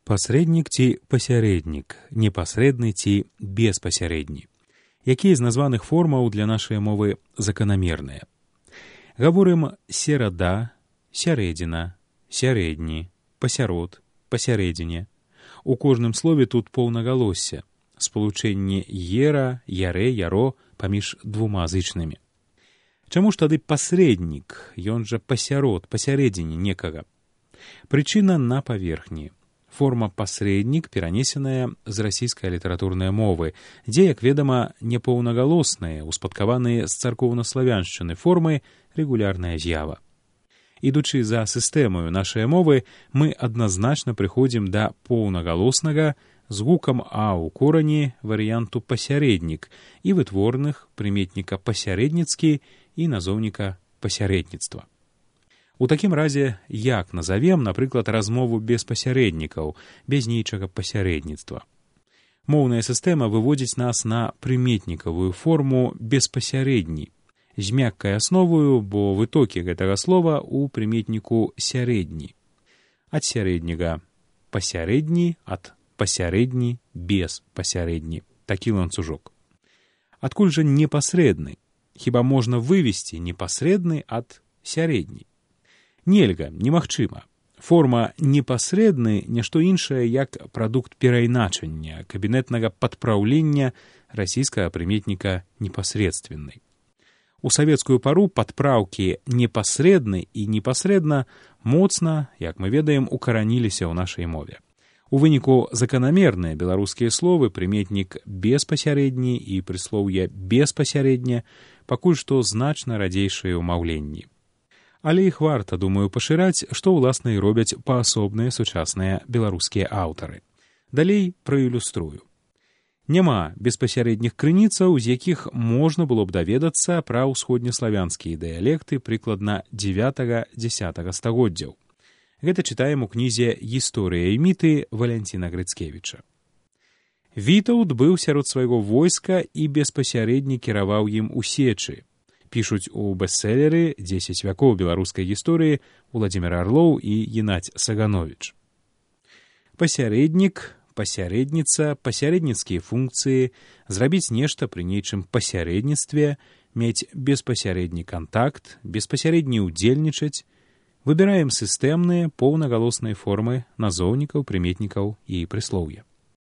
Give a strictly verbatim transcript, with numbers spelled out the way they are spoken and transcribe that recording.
Пасрэднік ці пасярэднік, непасрэдны ці беспасярэдні. Якія з названых формаў для нашай мовы заканамерныя? Гаворым серада, сярэдзіна, сярэдні, пасярод, пасярэдзіне. У кожным слове тут поўнагалоссе, спалучэнне ера, ярэ, яро паміж двума зычнымі. Чаму ж тады пасрэднік, ён жа пасярод, пасярэдзіне некага? Прычына на паверхні. Форма пасрэднік перанесеная з расійскай літаратурнай мовы, дзе, як ведама, непоўнагалосныя, успадкаваныя з царкоўнаславяншчыны формы рэгулярная з'ява. Ідучы за сістэмаю нашай мовы, мы адназначна прыходзім да поўнагалоснага з гукам «а» ў корані варыянту пасярэднік і вытворных прыметніка пасярэдніцкі і назоўніка пасярэдніцтва. У такім разе, як назавем, напрыклад, размову без пасярэднікаў, без нейчага пасярэдніцтва? Моўная сістэма выводзіць нас на прыметнікавую форму беспасярэдні, з мяккай асноваю, бо вытокі гэтага слова ў прыметніку сярэдні. Ад сярэдняга пасярэдні, ад пасярэдні без пасярэдні. Такі ланцужок. Адкуль жа непасрэдны? Хіба можна вывесці непасрэдны ад сярэдні? Нельга, немагчыма. Форма непасрэдны не што іншае, як прадукт перайначання, кабінетнага падпраўлення расійскага прыметніка непасрэдственны. У савецкую пару падпраўкі непасрэдны і непасрэдна моцна, як мы ведаем, укараніліся ў нашай мове. У выніку заканамерныя беларускія словы, прыметнік беспасярэдні і прыслоўе беспасярэдне пакуль што значна радзейшыя ў маўленні. Але іх варта, думаю, пашыраць, што ўласна і робяць паасобныя сучасныя беларускія аўтары. Далей праілюструю. Няма беспасярэдніх крыніцаў, з якіх можна было б даведацца пра ўсходнеславянскія дыялекты прыкладна дзевятага-дзясятага стагоддзяў. Гэта чытаем у кнізе «Гісторыя і міты» Валянціна Грыцкевіча. Вітаўт быў сярод свайго войска і беспасярэдні кіраваў ім у сечы. Пішуць у бестселеры «дзесяць вякоў беларускай гісторыі» Уладзімір Арлоў і Геннадзь Сагановіч. Пасярэднік, пасярэдніца, пасярэдніцкія функцыі, зрабіць нешта пры нейчым пасярэдніцтве, мець беспасярэдні кантакт, беспасярэдні ўдзельнічаць. Выбіраем сістэмныя поўнагалосныя формы назоўнікаў, прыметнікаў і прыслоўя.